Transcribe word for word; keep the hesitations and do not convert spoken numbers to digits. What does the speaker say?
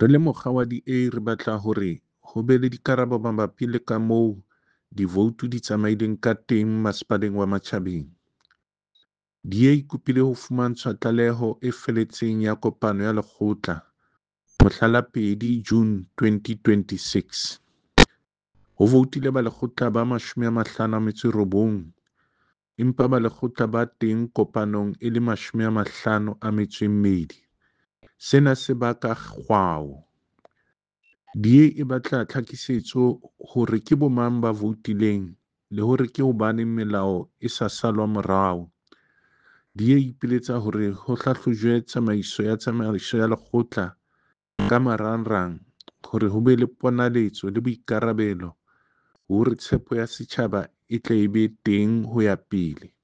Re le mokga wa D A re batla hore ho be le dikarabo mabapi le ka moo divoutu di tsamaileng ka teng Masepaleng wa Matjhabeng. D A e kopile ho fumantshwa tlaleho e feletseng ya kopano ya lekgotla mohla la pedi June twenty twenty-six. Ho voutile balekgotla ba mashome a mahlano a metso e robong, empa balekgotla ba teng kopanong e le mashome a mahlano a metso e mmedi. Sena se baka kgwao. D A e batla tlhakisetso hore ke bomang ba voutileng le hore ke hobaneng melao e sa salwa morao. D A e ipiletsa hore ho hlahlojwe tsamaiso ya tsamaiso ya lekgotla ka marangrang hore ho be le ponaletso le boikarabelo hore tshepo ya setjhaba e tle e be teng ho ya pele.